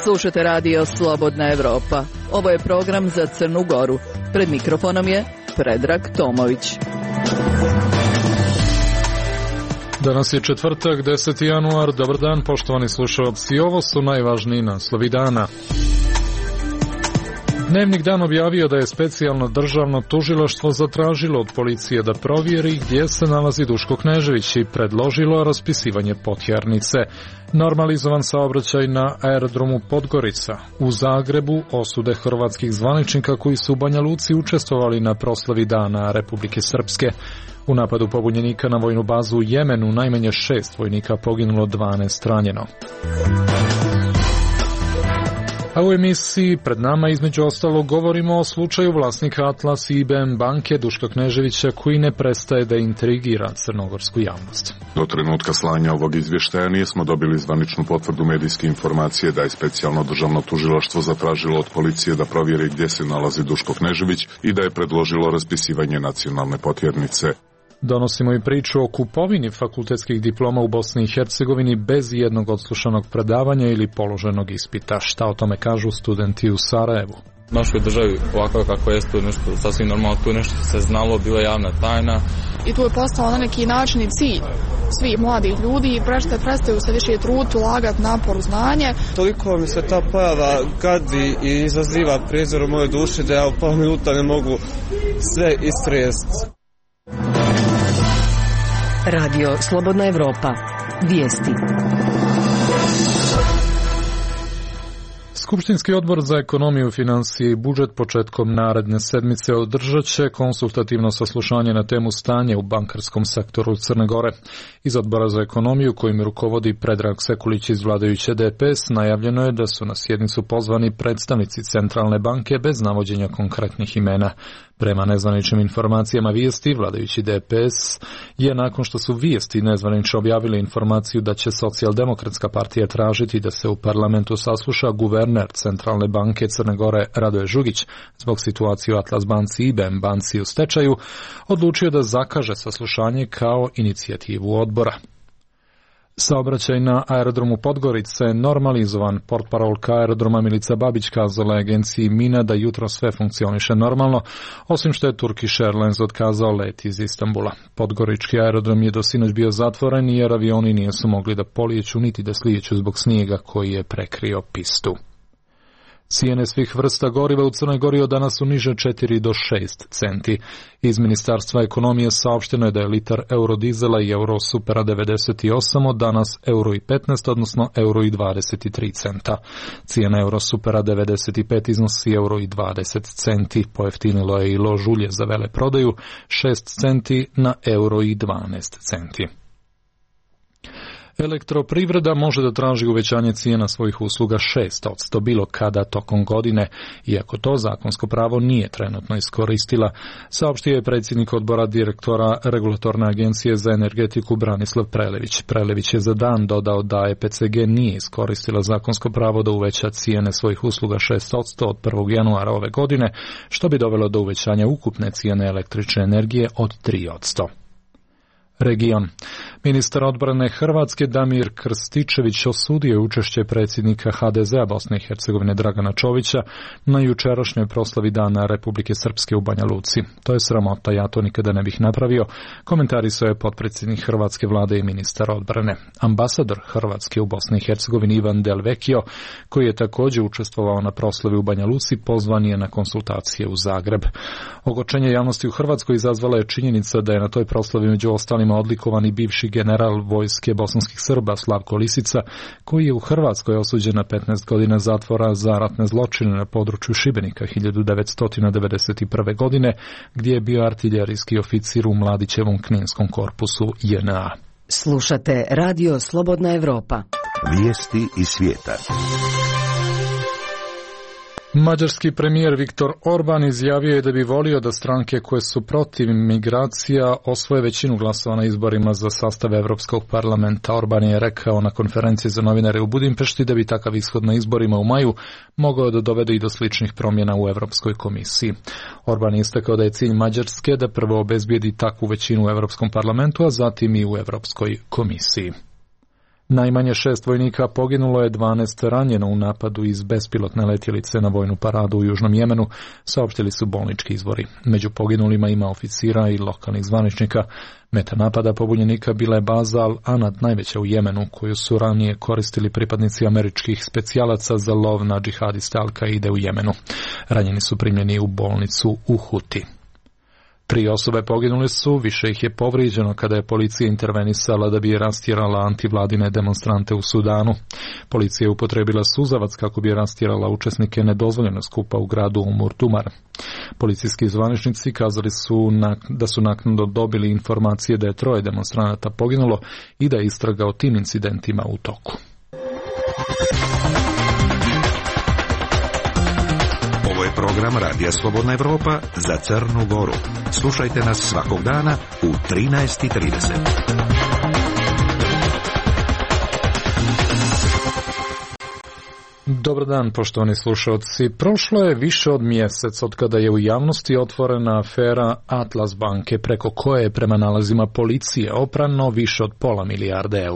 Slušate radio Slobodna Evropa. Ovo je program za Crnu Goru. Pred mikrofonom je Predrag Tomović. Danas je četvrtak, 10. januar. Dobar dan, poštovani slušalci. Ovo su najvažniji naslovi dana. Dnevnik Dan objavio da je specijalno državno tužilaštvo zatražilo od policije da provjeri gdje se nalazi Duško Knežević i predložilo raspisivanje potjernice. Normalizovan saobraćaj na aerodromu Podgorica. U Zagrebu osude hrvatskih zvaničnika koji su u Banja Luci učestvovali na proslavi Dana Republike Srpske. U napadu pobunjenika na vojnu bazu u Jemenu najmanje 6 vojnika poginulo, 12 ranjeno. A u emisiji pred nama između ostalog govorimo o slučaju vlasnika Atlas i IBM banke Duška Kneževića koji ne prestaje da intrigira crnogorsku javnost. Do trenutka slanja ovog izvještaja nismo dobili zvaničnu potvrdu medijske informacije da je specijalno državno tužilaštvo zatražilo od policije da provjeri gdje se nalazi Duško Knežević i da je predložilo raspisivanje nacionalne potjernice. Donosimo i priču o kupovini fakultetskih diploma u Bosni i Hercegovini bez jednog odslušanog predavanja ili položenog ispita. Šta o tome kažu studenti u Sarajevu? U našoj državi ovako kako je to nešto sasvim normalno, tu nešto se znalo, bila javna tajna. I tu je postao na neki način i cilj svih mladih ljudi i prestaju se više truditi, ulagati napor u znanje. Toliko mi se ta pojava gadi i izaziva prijezor u mojoj duši da ja u pola minuta ne mogu sve istresti. Radio Slobodna Evropa. Vijesti. Skupštinski odbor za ekonomiju, financije i budžet početkom naredne sedmice održat će konsultativno saslušanje na temu stanja u bankarskom sektoru Crne Gore. Iz odbora za ekonomiju, kojim rukovodi Predrag Sekulić iz vladajuće DPS, najavljeno je da su na sjednicu pozvani predstavnici Centralne banke bez navođenja konkretnih imena. Prema nezvaničnim informacijama Vijesti, vladajući DPS je nakon što su Vijesti nezvanično objavili informaciju da će Socijaldemokratska partija tražiti da se u parlamentu sasluša guverner Centralne banke Crne Gore Radoje Žugić zbog situacije u Atlas banci i IBM banci u stečaju, odlučio da zakaže saslušanje kao inicijativu odbora. Saobraćaj na aerodromu Podgorica je normalizovan. Portparolka aerodroma Milica Babić kazala je agenciji MINA da jutro sve funkcioniše normalno, osim što je Turkish Airlines otkazao let iz Istanbula. Podgorički aerodrom je do sinoć bio zatvoren jer avioni nisu mogli da polijeću niti da slijeću zbog snijega koji je prekrio pistu. Cijene svih vrsta goriva u Crnoj Gori od danas su niže 4 do 6 centi. Iz Ministarstva ekonomije saopšteno je da je litar eurodizela i eurosupera 98 od danas euro i 15, odnosno euro i 23 centa. Cijena eurosupera 95 iznosi euro i 20 centi. Pojeftinilo je i lož ulje za veleprodaju 6 centi na euro i 12 centi. Elektroprivreda može da traži uvećanje cijena svojih usluga 6% bilo kada tokom godine, iako to zakonsko pravo nije trenutno iskoristila, saopštio je predsjednik odbora direktora Regulatorne agencije za energetiku Branislav Prelević. Prelević je za dan dodao da EPCG nije iskoristila zakonsko pravo da uveća cijene svojih usluga 6% od 1. januara ove godine, što bi dovelo do uvećanja ukupne cijene električne energije od 3%. Region. Ministar odbrane Hrvatske Damir Krstičević osudio je učešće predsjednika HDZ-a Bosne i Hercegovine Dragana Čovića na jučerašnjoj proslavi Dana Republike Srpske u Banja Luci. To je sramota, ja to nikada ne bih napravio, komentarisao je potpredsjednik Hrvatske vlade i ministar odbrane. Ambasador Hrvatske u Bosni i Hercegovini Ivan Del Vecchio, koji je također učestvovao na proslavi u Banja Luci, pozvan je na konsultacije u Zagreb. Ogorčenje javnosti u Hrvatskoj izazvala je činjenica da je na toj proslavi među ostalima odlikovan i bivši general vojske bosanskih Srba Slavko Lisica, koji je u Hrvatskoj osuđen na 15 godina zatvora za ratne zločine na području Šibenika 1991. godine, gdje je bio artiljerijski oficir u Mladićevom kninskom korpusu JNA. Slušate Radio Slobodna Evropa. Vijesti iz svijeta. Mađarski premijer Viktor Orban izjavio je da bi volio da stranke koje su protiv migracija osvoje većinu glasova na izborima za sastav Evropskog parlamenta. Orban je rekao na konferenciji za novinare u Budimpešti da bi takav ishod na izborima u maju mogao da dovede i do sličnih promjena u Evropskoj komisiji. Orban je istakao da je cilj Mađarske da prvo obezbijedi takvu većinu u Evropskom parlamentu, a zatim i u Evropskoj komisiji. Najmanje 6 vojnika poginulo je, 12 ranjeno u napadu iz bespilotne letjelice na vojnu paradu u Južnom Jemenu, saopštili su bolnički izvori. Među poginulima ima oficira i lokalnih zvaničnika. Meta napada pobunjenika bila je baza Al-Anad, najveća u Jemenu, koju su ranije koristili pripadnici američkih specijalaca za lov na džihadiste Al-Kaide u Jemenu. Ranjeni su primljeni u bolnicu u Huti. 3 osobe poginule su, više ih je povrijeđeno kada je policija intervenisala da bi rastjerala antivladine demonstrante u Sudanu. Policija je upotrebila suzavac kako bi rastjerala učesnike nedozvoljenog skupa u gradu Umur-Dumar. Policijski zvaničnici kazali su da su naknadno dobili informacije da je 3 demonstranata poginulo i da je istraga o tim incidentima u toku. Ovo je program Radija Slobodna Evropa za Crnu Goru. Slušajte nas svakog dana u 13:30. Dobar dan, poštovani slušalci. Prošlo je više od mjesec od kada je u javnosti otvorena afera Atlas banke, preko koje je prema nalazima policije oprano više od £500 milijarde.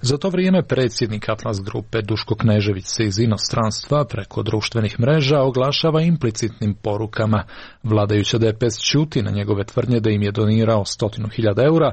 Za to vrijeme predsjednik Atlas grupe Duško Knežević se iz inostranstva preko društvenih mreža oglašava implicitnim porukama. Vladajuća DPS ćuti na njegove tvrdnje da im je donirao €100.000,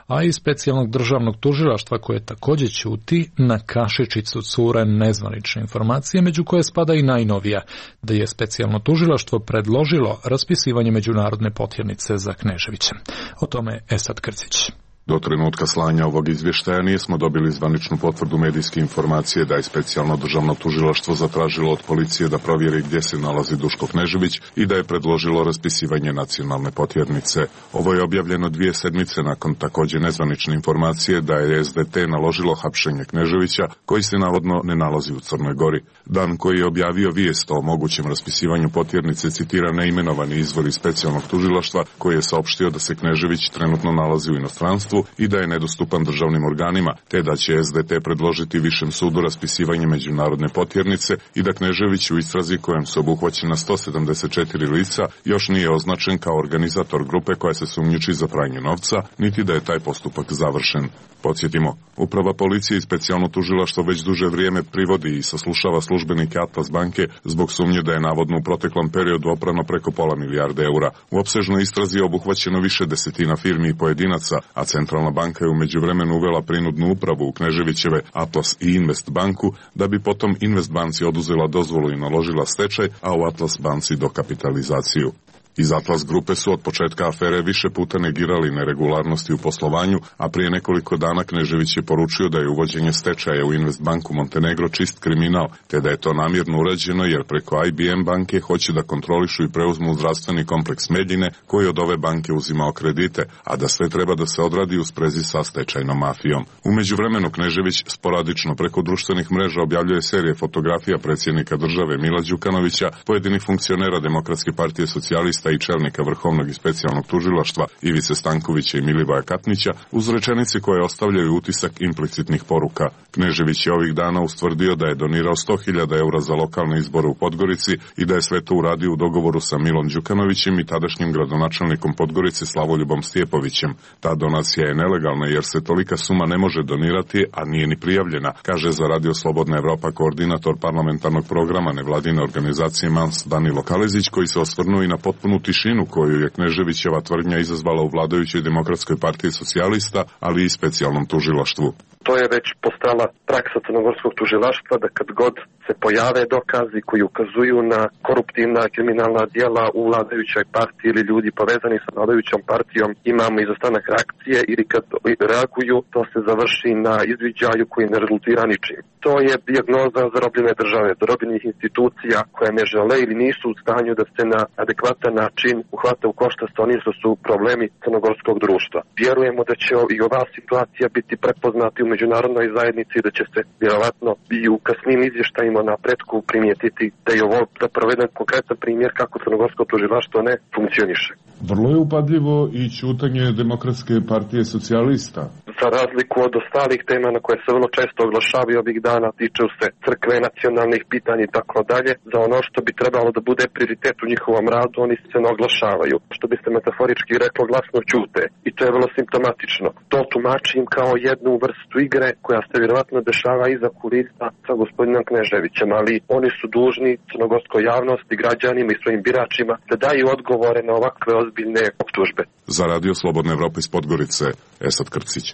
a i specijalnog državnog tužilaštva koje također ćuti na kašičicu cure nezvanične informacije, među koje spada i najnovija, da je specijalno tužilaštvo predložilo raspisivanje međunarodne potjernice za Kneževića. O tome Esad Krcić. Do trenutka slanja ovog izvještaja nismo dobili zvaničnu potvrdu medijske informacije da je specijalno državno tužilaštvo zatražilo od policije da provjeri gdje se nalazi Duško Knežević i da je predložilo raspisivanje nacionalne potjernice. Ovo je objavljeno 2 sedmice nakon također nezvanične informacije da je SDT naložilo hapšenje Kneževića, koji se navodno ne nalazi u Crnoj Gori. Dan koji je objavio vijest o mogućem raspisivanju potjernice citira neimenovani izvor iz specijalnog tužilaštva koji je saopštio da se Knežević trenutno nalazi u inostranstvu i da je nedostupan državnim organima, te da će SDT predložiti Višem sudu raspisivanje međunarodne potjernice i da Knežević u istrazi kojem su obuhvaćena 174 lica još nije označen kao organizator grupe koja se sumnjiči za pranje novca, niti da je taj postupak završen. Podsjetimo, Uprava policije i specijalno tužilaštvo već duže vrijeme privodi i saslušava službenike Atlas banke zbog sumnje da je navodno u proteklom periodu oprano preko £500 milijarde. U opsežnoj istrazi je obuhvaćeno više desetina firmi i pojedinaca, a Centralna banka je u međuvremenu uvela prinudnu upravu u Kneževićeve Atlas i Invest banku, da bi potom Invest banci oduzela dozvolu i naložila stečaj, a u Atlas banci dokapitalizaciju. Iz Atlas grupe su od početka afere više puta negirali neregularnosti u poslovanju, a prije nekoliko dana Knežević je poručio da je uvođenje stečaja u Invest banku Montenegro čist kriminal, te da je to namjerno urađeno jer preko IBM banke hoće da kontrolišu i preuzmu zdravstveni kompleks Meljine koji od ove banke uzimao kredite, a da sve treba da se odradi u sprezi sa stečajnom mafijom. U međuvremenu Knežević sporadično preko društvenih mreža objavljuje serije fotografija predsjednika države Mila Đukanovića, pojedinih funkcionera Demokratske partije socijalista i čelnika Vrhovnog i specijalnog tužilaštva Ivice Stankovića i Milivoja Katnića uz rečenice koje ostavljaju utisak implicitnih poruka. Knežević je ovih dana ustvrdio da je donirao €100.000 za lokalne izbore u Podgorici i da je sve to uradio u dogovoru sa Milom Đukanovićem i tadašnjim gradonačelnikom Podgorice Slavoljubom Stjepovićem. Ta donacija je nelegalna jer se tolika suma ne može donirati, a nije ni prijavljena, kaže za Radio Slobodna Evropa koordinator parlamentarnog programa nevladine organizacije MANS Danilo Kalezić, koji se osvrnuo i na potpunu tišinu koju je Kneževićeva tvrdnja izazvala u vladajućoj Demokratskoj partiji socijalista, ali i specijalnom tužilaštvu. To je već postala praksa crnogorskog tužilaštva da kad god se pojave dokazi koji ukazuju na koruptivna kriminalna djela u vladajućoj partiji ili ljudi povezani sa vladajućom partijom, imamo izostanak reakcije ili kad reaguju to se završi na izviđaju koji ne rezultira ničim. To je dijagnoza zarobljene države, zarobljenih institucija koje ne žele ili nisu u stanju da se na adekvatan način uhvate u koštac sa onim što su problemi crnogorskog društva. Vjerujemo da će i ova situacija biti prepoznata u međunarodnoj zajednici, da će će se vjerovatno i u kasnim izvještajima na pretku primijetiti da je ovo zapravo jedan konkretan primjer kako crnogorsko tužilaštvo ne funkcioniše. Vrlo je upadljivo i ćutanje Demokratske partije socijalista. Za razliku od ostalih tema na koje se vrlo često oglašavaju ovih dana, tiču se crkve, nacionalnih pitanja i tako dalje, za ono što bi trebalo da bude prioritet u njihovom radu, oni se ne oglašavaju. Što bi se metaforički reklo, glasno ćute. I to je vrlo simptomatično. To tumačim kao jednu vrstu igre koja se vjerovatno dešava iza kulisa sa gospodinom Kneževićem, ali oni su dužni crnogorskoj javnosti, građanima i svojim biračima da daju odgovore na ovakve ozbiljne optužbe. Za Radio Slobodna Evropa iz Podgorice, Esad Krcić.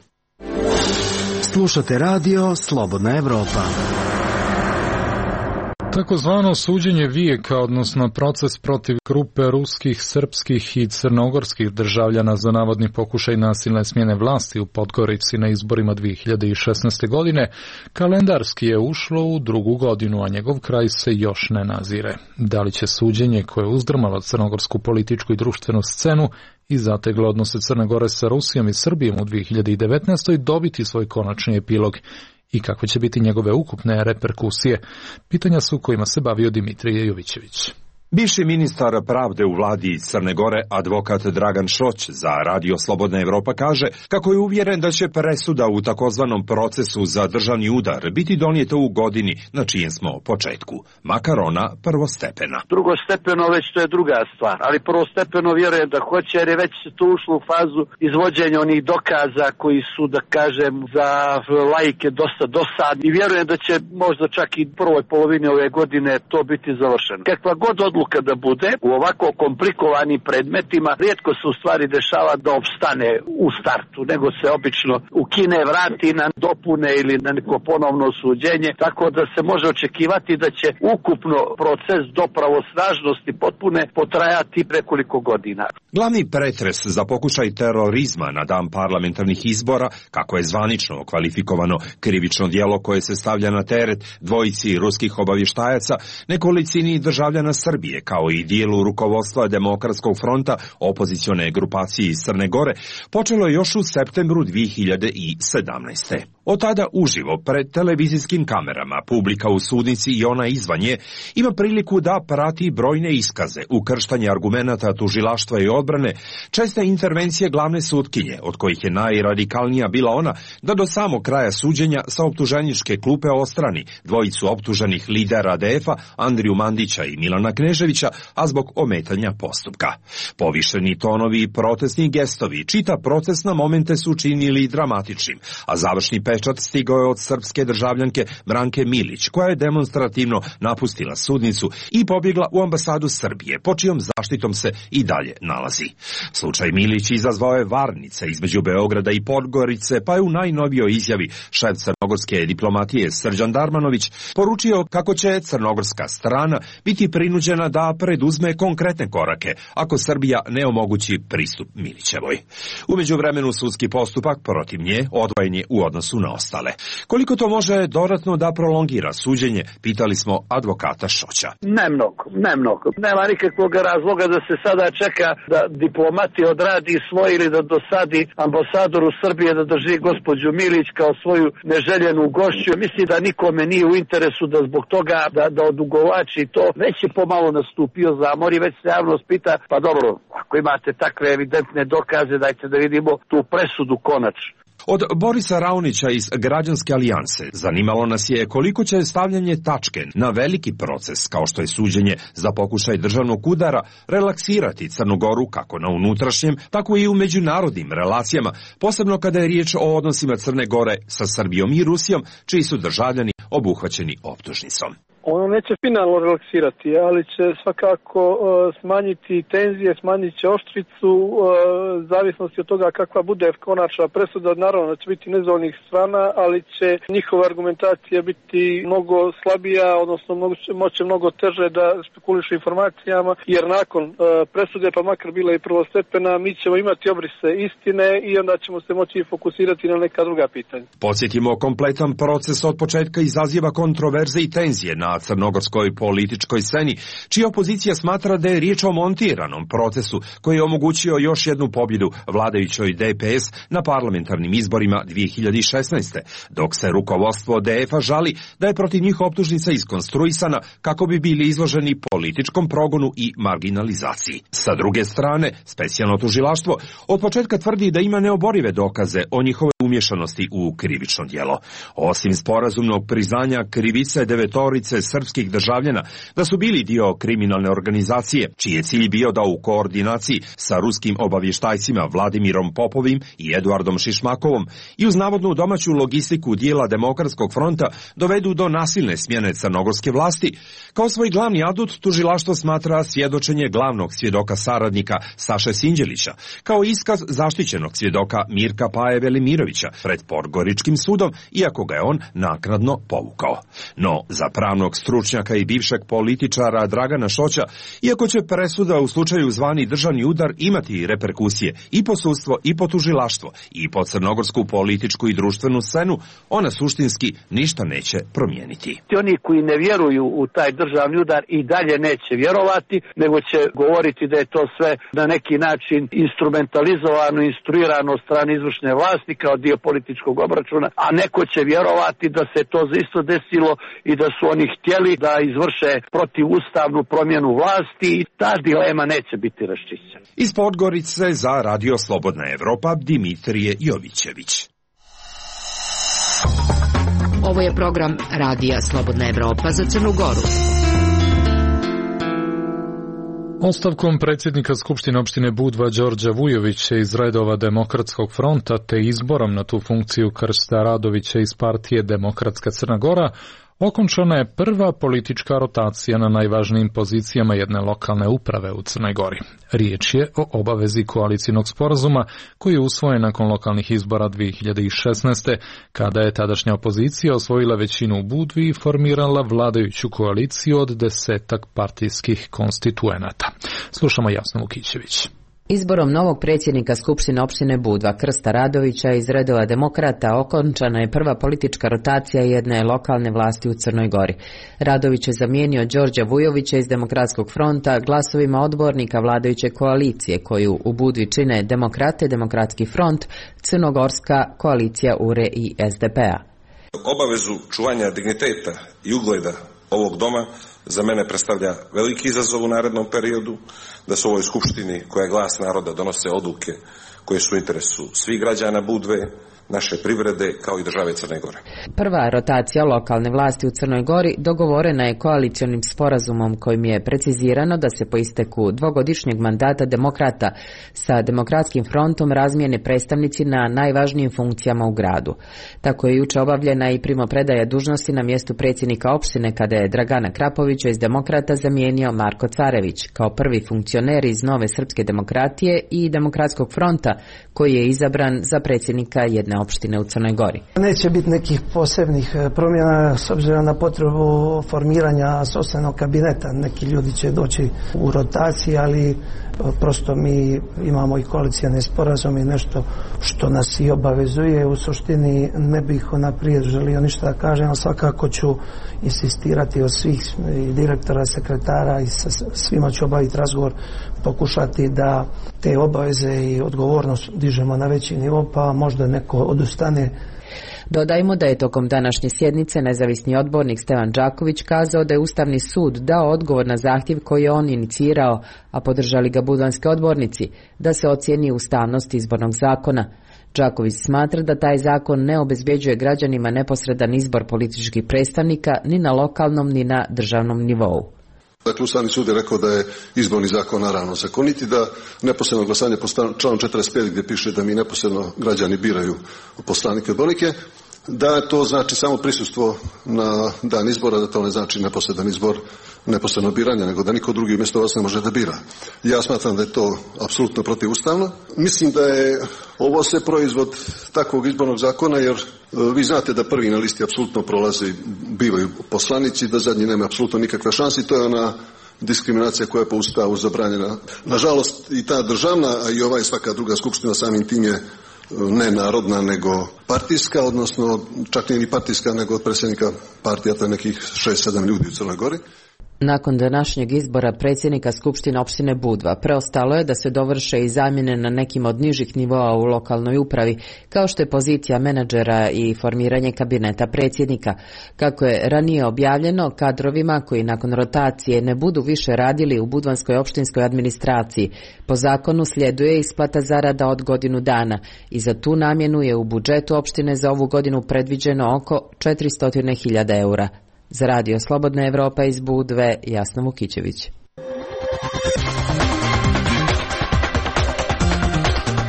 Slušate Radio Slobodna Evropa. Takozvano suđenje vijeka, odnosno proces protiv grupe ruskih, srpskih i crnogorskih državljana za navodni pokušaj nasilne smjene vlasti u Podgorici na izborima 2016. godine, kalendarski je ušlo u drugu godinu, a njegov kraj se još ne nazire. Da li će suđenje koje je uzdrmalo crnogorsku političku i društvenu scenu i zateglo odnose Crne Gore sa Rusijom i Srbijom u 2019. dobiti svoj konačni epilog? I kako će biti njegove ukupne reperkusije? Pitanja su kojima se bavio Dimitrije Jovićević. Bivši ministar pravde u vladi Crne Gore, advokat Dragan Šoć, za Radio Slobodna Evropa kaže kako je uvjeren da će presuda u takozvanom procesu za državni udar biti donijeta u godini na čijem smo početku, makar ona prvostepena. Drugostepeno već to je druga stvar, ali prvostepeno vjerujem da hoće, jer je već to ušlo u fazu izvođenja onih dokaza koji su, da kažem, za laike dosta dosadni i vjerujem da će možda čak i prvoj polovini ove godine to biti završeno. Kakva god odluka da bude u ovako komplikovanim predmetima, rijetko se u stvari dešava da opstane u startu, nego se obično ukine, vrati na dopune ili na neko ponovno suđenje, tako da se može očekivati da će ukupno proces do pravosnažnosti potpune potrajati nekoliko godina. Glavni pretres za pokušaj terorizma na dan parlamentarnih izbora, kako je zvanično kvalifikovano krivično djelo koje se stavlja na teret dvojici ruskih obavještajaca, nekolicini državljana Srbije, kao i dijelu rukovodstva Demokratskog fronta, opozicione grupacije iz Crne Gore, počelo je još u septembru 2017. Od tada uživo pred televizijskim kamerama publika u sudnici i ona izvan nje ima priliku da prati brojne iskaze, ukrštanje argumenata tužilaštva i odbrane, česte intervencije glavne sutkinje, od kojih je najradikalnija bila ona da do samog kraja suđenja sa optuženičke klupe ostrani dvojicu optuženih lidera ADF-a, Andriju Mandića i Milana Kneževića, a zbog ometanja postupka. Povišeni tonovi i protestni gestovi čita proces na momente su činili dramatičnim, a završni pečat stigao je od srpske državljanke Branke Milić, koja je demonstrativno napustila sudnicu i pobjegla u ambasadu Srbije, po čijom zaštitom se i dalje nalazi. Slučaj Milić izazvao je varnice između Beograda i Podgorice, pa je u najnovijoj izjavi šef crnogorske diplomatije Srđan Darmanović poručio kako će crnogorska strana biti prinuđena da preduzme konkretne korake ako Srbija ne omogući pristup Milićevoj. U međuvremenu sudski postupak protiv nje odvojen je u odnosu na ostale. Koliko to može dodatno da prolongira suđenje, pitali smo advokata Šoća. Ne mnogo. Nema nikakvog razloga da se sada čeka da diplomati odradi svoj ili da dosadi ambasadoru Srbije da drži gospođu Milić kao svoju neželjenu gošću. Mislim da nikome nije u interesu da zbog toga da odugovlači to. Već je pomalo nastupio zamor i već se javnost pita, pa dobro, ako imate takve evidentne dokaze, dajte da vidimo tu presudu konačno. Od Borisa Raunića iz Građanske alijanse zanimalo nas je koliko će stavljanje tačke na veliki proces, kao što je suđenje za pokušaj državnog udara, relaksirati Crnu Goru kako na unutrašnjem, tako i u međunarodnim relacijama, posebno kada je riječ o odnosima Crne Gore sa Srbijom i Rusijom, čiji su državljani obuhvaćeni optužnicom. Ono neće finalno relaksirati, ali će svakako smanjiti tenzije, smanjit će oštricu, zavisnosti od toga kakva bude konačna presuda, naravno da će biti nezadovoljnih strana, ali će njihova argumentacija biti mnogo slabija, odnosno moće mnogo teže da spekulišu informacijama, jer nakon presude, pa makar bila i prvostepena, mi ćemo imati obrise istine i onda ćemo se moći fokusirati na neka druga pitanja. Podsjetimo, kompletan proces od početka izaziva kontroverze i tenzije na na crnogorskoj političkoj sceni, čija opozicija smatra da je riječ o montiranom procesu koji je omogućio još jednu pobjedu vladajućoj DPS na parlamentarnim izborima 2016. dok se rukovodstvo DF-a žali da je protiv njih optužnica iskonstruisana kako bi bili izloženi političkom progonu i marginalizaciji. Sa druge strane, specijalno tužilaštvo od početka tvrdi da ima neoborive dokaze o njihovoj umješanosti u krivično djelo. Osim sporazumnog priznanja krivice 9 srpskih državljana da su bili dio kriminalne organizacije, čiji je cilj bio da u koordinaciji sa ruskim obavještajcima Vladimirom Popovim i Eduardom Šišmakovom i uz navodnu domaću logistiku dijela Demokratskog fronta dovedu do nasilne smjene crnogorske vlasti, kao svoj glavni adut tužilaštvo smatra svjedočenje glavnog svjedoka saradnika Saše Sinđelića, kao iskaz zaštićenog svjedoka Mirka Paje Velimirovića pred Podgoričkim sudom, iako ga je on naknadno povukao. No, za pravnog stručnjaka i bivšeg političara Dragana Šoća, iako će presuda u slučaju zvani državni udar imati reperkusije i po sudstvo i po tužilaštvo i po crnogorsku političku i društvenu scenu, ona suštinski ništa neće promijeniti. Oni koji ne vjeruju u taj državni udar i dalje neće vjerovati, nego će govoriti da je to sve na neki način instrumentalizovano, instruirano od strane izvršne vlasti kao dio političkog obračuna, a neko će vjerovati da se to isto desilo i da su oni htjeli da izvrše protivustavnu promjenu vlasti i ta dilema neće biti raščišćena. Iz Podgorice za Radio Slobodna Evropa Dimitrije Jovićević. Ovo je program Radija Slobodna Evropa za Crnu Goru. Ostavkom predsjednika Skupštine opštine Budva Đorđa Vujovića iz redova Demokratskog fronta te izborom na tu funkciju Krsta Radovića iz partije Demokratska Crna Gora okončana je prva politička rotacija na najvažnijim pozicijama jedne lokalne uprave u Crnoj Gori. Riječ je o obavezi koalicijnog sporazuma koji je usvojen nakon lokalnih izbora 2016. kada je tadašnja opozicija osvojila većinu u Budvi i formirala vladajuću koaliciju od 10 partijskih konstituenata. Slušamo Jasnu Vukićević. Izborom novog predsjednika Skupštine opštine Budva Krsta Radovića iz redova Demokrata okončana je prva politička rotacija jedne lokalne vlasti u Crnoj Gori. Radović je zamijenio Đorđa Vujovića iz Demokratskog fronta glasovima odbornika vladajuće koalicije koju u Budvi čine Demokrate, Demokratski front, Crnogorska koalicija URE i SDP-a. Obavezu čuvanja digniteta i ugleda ovog doma za mene predstavlja veliki izazov u narednom periodu, da se u ovoj skupštini koja je glas naroda donose odluke koje su u interesu svih građana Budve, naše privrede kao i države Crne Gore. Prva rotacija lokalne vlasti u Crnoj Gori dogovorena je koalicionim sporazumom kojim je precizirano da se po isteku dvogodišnjeg mandata Demokrata sa Demokratskim frontom razmijene predstavnici na najvažnijim funkcijama u gradu. Tako je juče obavljena i primopredaja dužnosti na mjestu predsjednika opštine kada je Dragana Krapovića iz Demokrata zamijenio Marko Carević kao prvi funkcioner iz Nove srpske demokratije i Demokratskog fronta koji je izabran za predsjednika jedne opštine u Crnoj Gori. Neće biti nekih posebnih promjena s obzirom na potrebu formiranja sopstvenog kabineta. Neki ljudi će doći u rotaciji, ali prosto mi imamo i koalicijane sporazume i nešto što nas i obavezuje. U suštini ne bih naprijed želio ništa da kažem, ali svakako ću insistirati od svih direktora, sekretara i sa svima ću obaviti razgovor, pokušati da te obaveze i odgovornost dižemo na veći nivo, pa možda neko odustane. Dodajmo da je tokom današnje sjednice nezavisni odbornik Stevan Đaković kazao da je Ustavni sud dao odgovor na zahtjev koji je on inicirao, a podržali ga budvanski odbornici, da se ocijeni ustavnost izbornog zakona. Đaković smatra da taj zakon ne obezbeđuje građanima neposredan izbor političkih predstavnika ni na lokalnom ni na državnom nivou. Dakle, Ustavni sud je rekao da je izborni zakon naravno zakoniti, da neposredno glasanje po članu 45 gdje piše da mi neposredno građani biraju poslanike i odbornike, da to znači samo prisustvo na dan izbora, da to ne znači neposredan izbor, neposredno biranje, nego da niko drugi umjesto vas ne može da bira. Ja smatram da je to apsolutno protivustavno. Mislim da je ovo sve proizvod takvog izbornog zakona, jer vi znate da prvi na listi apsolutno prolaze, bivaju poslanici, da zadnji nema apsolutno nikakve šanse i to je ona diskriminacija koja je po Ustavu zabranjena. Nažalost i ta državna, a i svaka druga skupština samim tim je ne narodna nego partijska, odnosno čak nije ni partijska nego od predsjednika partija, to je nekih 6-7 ljudi u Crnoj Gori. Nakon današnjeg izbora predsjednika Skupštine opštine Budva, preostalo je da se dovrše i zamjene na nekim od nižih nivoa u lokalnoj upravi, kao što je pozicija menadžera i formiranje kabineta predsjednika. Kako je ranije objavljeno, kadrovima koji nakon rotacije ne budu više radili u budvanskoj opštinskoj administraciji, po zakonu sljeduje isplata zarada od godinu dana i za tu namjenu je u budžetu opštine za ovu godinu predviđeno oko 400.000 eura. Za Radio Slobodna Evropa iz Budve, Jasna Vukićević.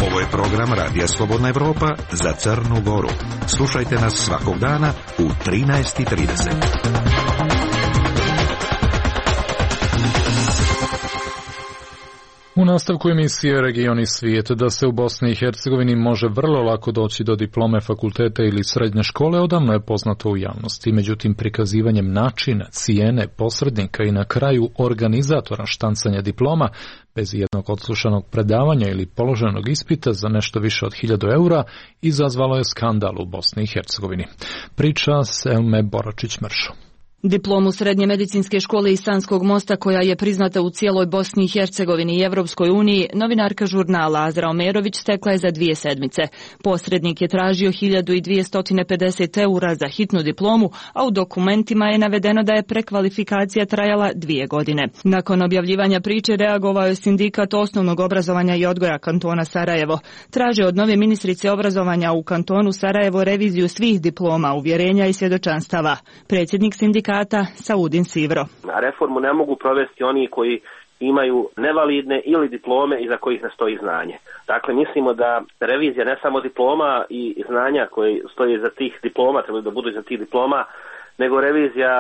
Ovo je program Radija Slobodna Evropa za Crnu Goru. Slušajte nas svakog dana u 13:30. U nastavku emisije Region i svijet, da se u Bosni i Hercegovini može vrlo lako doći do diplome fakulteta ili srednje škole odavno je poznato u javnosti. Međutim, prikazivanjem načina, cijene, posrednika i na kraju organizatora štancanja diploma bez jednog odslušanog predavanja ili položenog ispita za nešto više od 1000 eura izazvalo je skandal u Bosni i Hercegovini. Priča Selme Boračić-Mršo. Diplomu Srednje medicinske škole iz Sanskog Mosta, koja je priznata u cijeloj Bosni i Hercegovini i Evropskoj uniji, novinarka žurnala Azra Omerović stekla je za 2 sedmice. Posrednik je tražio 1250 eura za hitnu diplomu, a u dokumentima je navedeno da je prekvalifikacija trajala 2 godine. Nakon objavljivanja priče reagovao je sindikat osnovnog obrazovanja i odgoja kantona Sarajevo. Traže od nove ministrice obrazovanja u kantonu Sarajevo reviziju svih diploma, uvjerenja i svjedočanstava. Predsjednik sindikata Saudin Sivro. Reformu ne mogu provesti oni koji imaju nevalidne ili diplome iza kojih ne stoji znanje. Dakle, mislimo da revizija ne samo diploma i znanja koji stoji iza tih diploma, trebaju da budu iza tih diploma, nego revizija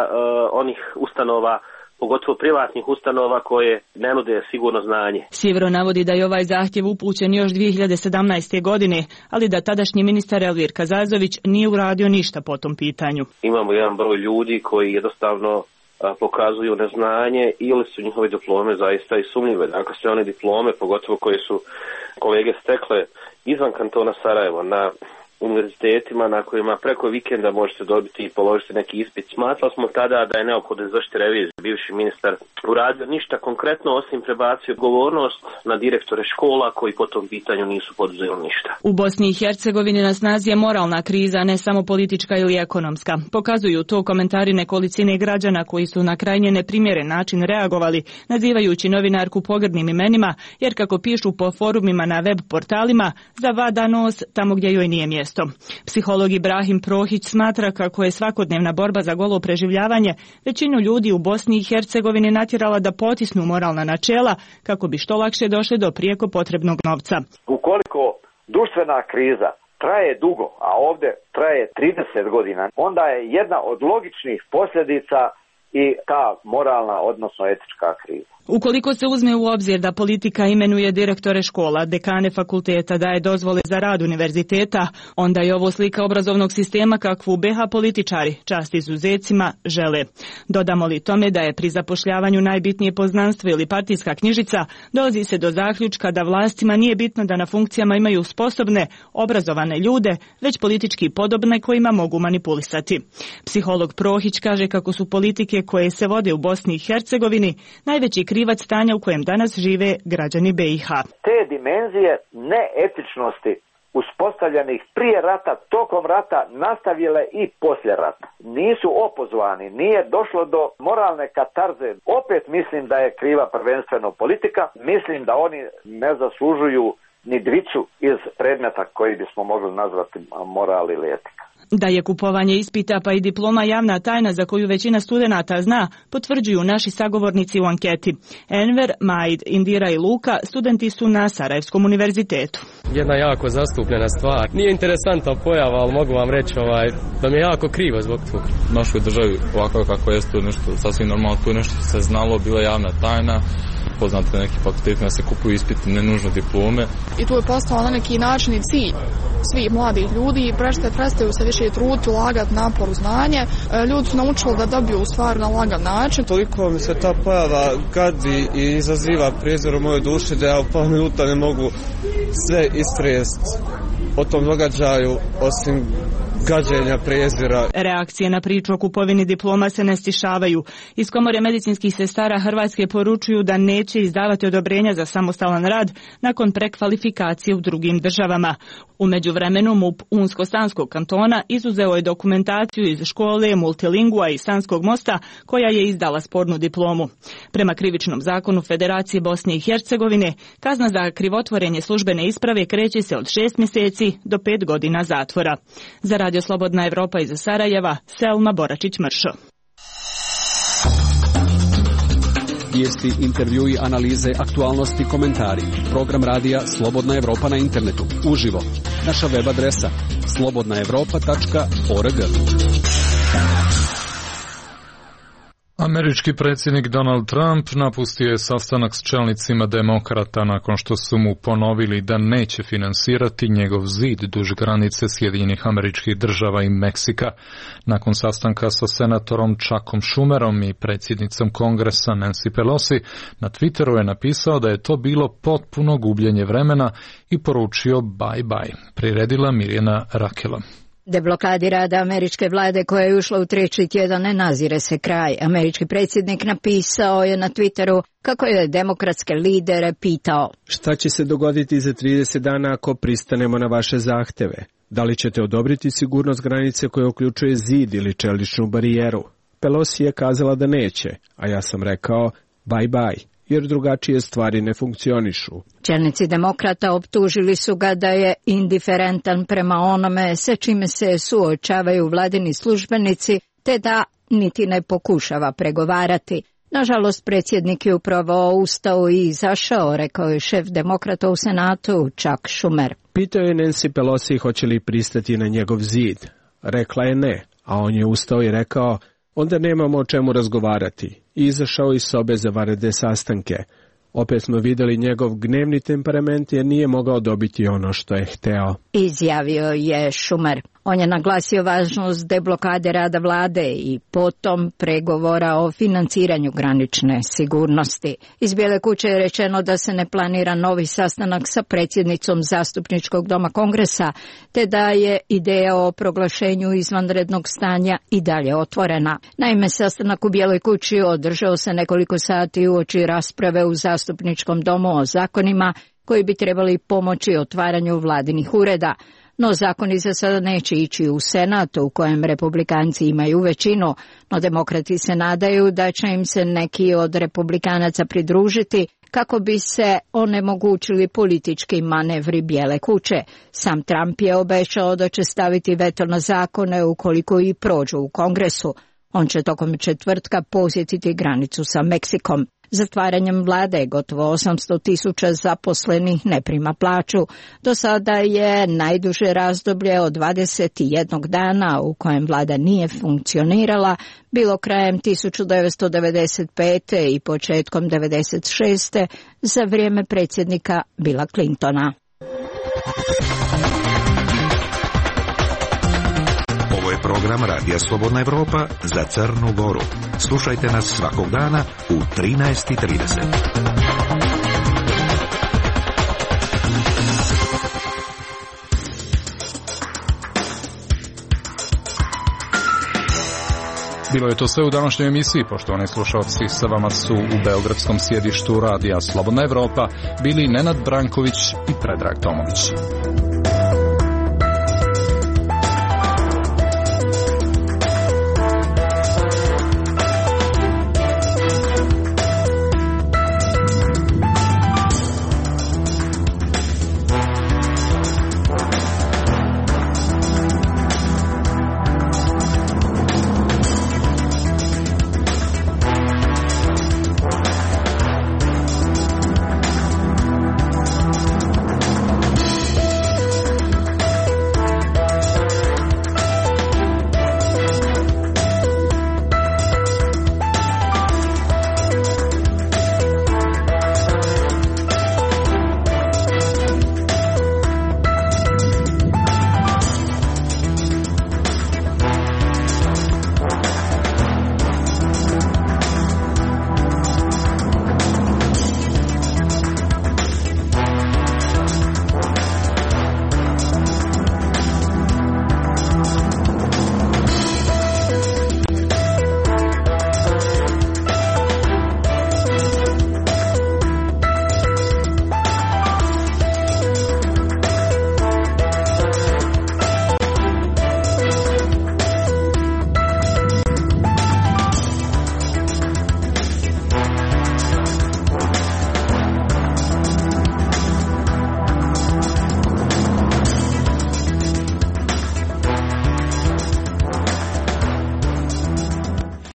onih ustanova, pogotovo privatnih ustanova koje ne nude sigurno znanje. Sivro navodi da je ovaj zahtjev upućen još 2017. godine, ali da tadašnji ministar Elvir Kazazović nije uradio ništa po tom pitanju. Imamo jedan broj ljudi koji jednostavno pokazuju neznanje ili su njihove diplome zaista i sumnjive. Dakle, sve one diplome, pogotovo koje su kolege stekle izvan kantona Sarajevo na univerzitetima na kojima preko vikenda možete dobiti i položiti neki ispit. Smatrali smo tada da je neophodno izvršiti reviziju. Bivši ministar uradio ništa konkretno osim prebacio odgovornost na direktore škola koji po tom pitanju nisu poduzeli ništa. U Bosni i Hercegovini na snazi je moralna kriza, ne samo politička ili ekonomska. Pokazuju to komentari nekolicine građana koji su na krajnje neprimjeren način reagovali, nazivajući novinarku pogrdnim imenima, jer kako pišu po forumima na web portalima, zavada nos tamo gdje joj nije mjesto. Psiholog Ibrahim Prohić smatra kako je svakodnevna borba za golo preživljavanje većinu ljudi u Bosni i Hercegovini natjerala da potisnu moralna načela kako bi što lakše došli do prijeko potrebnog novca. Ukoliko društvena kriza traje dugo, a ovdje traje 30 godina, onda je jedna od logičnih posljedica i ta moralna, odnosno etička kriza. Ukoliko se uzme u obzir da politika imenuje direktore škola, dekane fakulteta, daje dozvole za rad univerziteta, onda je ovo slika obrazovnog sistema kakvu BiH političari, čast izuzecima, žele. Dodamo li tome da je pri zapošljavanju najbitnije poznanstvo ili partijska knjižica, dolazi se do zaključka da vlastima nije bitno da na funkcijama imaju sposobne, obrazovane ljude, već politički podobne kojima mogu manipulisati. Psiholog Prohić kaže kako su politike koje se vode u Bosni i Hercegovini najveći krivac stanja u kojem danas žive građani BiH. Te dimenzije neetičnosti uspostavljenih prije rata, tokom rata, nastavile i poslije rata. Nisu opozvani, nije došlo do moralne katarze. Opet mislim da je kriva prvenstveno politika. Mislim da oni ne zaslužuju ni dvicu iz predmeta koji bismo mogli nazvati moral ili etika. Da je kupovanje ispita pa i diploma javna tajna za koju većina studenata zna, potvrđuju naši sagovornici u anketi. Enver, Maid, Indira i Luka studenti su na Sarajevskom univerzitetu. Jedna jako zastupljena stvar. Nije interesantna pojava, ali mogu vam reći da mi je jako krivo zbog toga. U našoj državi ovako kako je tu nešto sasvim normalno, tu nešto se znalo, bila javna tajna. Poznate neki fakulteti da se kupuju ispiti, ne nužno diplome. I tu je postao na neki način i cilj svih mladih ljudi i prestaju se više truditi, ulagati napor u znanje. Ljudi su naučili da dobiju stvar na lagan način. Toliko mi se ta pojava gadi i izaziva prijezor u mojoj duši da ja u pola minuta ne mogu sve istrest o tom događaju, osim gađenja, prezira. Reakcije na priču o kupovini diploma se ne stišavaju. Iz Komore medicinskih sestara Hrvatske poručuju da neće izdavati odobrenja za samostalan rad nakon prekvalifikacije u drugim državama. U međuvremenu MUP Unsko-Sanskog kantona izuzeo je dokumentaciju iz škole Multilingua i Sanskog mosta koja je izdala spornu diplomu. Prema krivičnom zakonu Federacije Bosne i Hercegovine, kazna za krivotvorenje službene isprave kreće se od 6 mjeseci do 5 godina zatvora. Za Radio Slobodna Evropa iz Sarajeva, Selma Boračić-Mršo. Vijesti, intervjui, analize, aktualnosti, komentari. Program radija Slobodna Evropa na internetu. Uživo. Naša web adresa slobodnaevropa.org. Američki predsjednik Donald Trump napustio je sastanak s čelnicima demokrata nakon što su mu ponovili da neće finansirati njegov zid duž granice Sjedinjenih Američkih Država i Meksika. Nakon sastanka sa senatorom Chuckom Schumerom i predsjednicom Kongresa Nancy Pelosi, na Twitteru je napisao da je to bilo potpuno gubljenje vremena i poručio bye bye. Priredila Mirjana Rakela. Deblokadi rada američke vlade koja je ušla u 3. tjedan ne nazire se kraj. Američki predsjednik napisao je na Twitteru kako je demokratske lidere pitao: šta će se dogoditi za 30 dana ako pristanemo na vaše zahteve? Da li ćete odobriti sigurnost granice koja uključuje zid ili čeličnu barijeru? Pelosi je kazala da neće, a ja sam rekao bye bye, jer drugačije stvari ne funkcionišu. Čelnici demokrata optužili su ga da je indiferentan prema onome sa čime se suočavaju vladini službenici, te da niti ne pokušava pregovarati. Nažalost, predsjednik je upravo ustao i izašao, rekao je šef demokrata u Senatu Chuck Schumer. Pitao je Nancy Pelosi hoće li pristati na njegov zid. Rekla je ne, a on je ustao i rekao: onda nemamo o čemu razgovarati. I izašao iz sobe za vanredne sastanke. Opet smo vidjeli njegov gnevni temperament jer nije mogao dobiti ono što je hteo. Izjavio je Schumer. On je naglasio važnost deblokade rada vlade i potom pregovora o financiranju granične sigurnosti. Iz Bijele kuće je rečeno da se ne planira novi sastanak sa predsjednicom zastupničkog doma Kongresa, te da je ideja o proglašenju izvanrednog stanja i dalje otvorena. Naime, sastanak u Bijeloj kući održao se nekoliko sati uoči rasprave u zastupničkom domu o zakonima koji bi trebali pomoći otvaranju vladinih ureda. No zakoni za sada neće ići u Senat, u kojem republikanci imaju većinu, no demokrati se nadaju da će im se neki od republikanaca pridružiti kako bi se onemogućili politički manevri Bijele kuće. Sam Trump je obećao da će staviti veto na zakone ukoliko i prođu u Kongresu. On će tokom četvrtka posjetiti granicu sa Meksikom. Zatvaranjem vlade gotovo 800.000 zaposlenih ne prima plaću. Do sada je najduže razdoblje od 21 dana u kojem vlada nije funkcionirala bilo krajem 1995. i početkom 1996. za vrijeme predsjednika Billa Clintona. Ovo je program Radija Slobodna Evropa za Crnu Goru. Slušajte nas svakog dana u 13:30. Bilo je to sve u današnjoj emisiji, poštovani slušalci. Sa vama su u beogradskom sjedištu Radija Slobodna Evropa bili Nenad Branković i Predrag Tomović.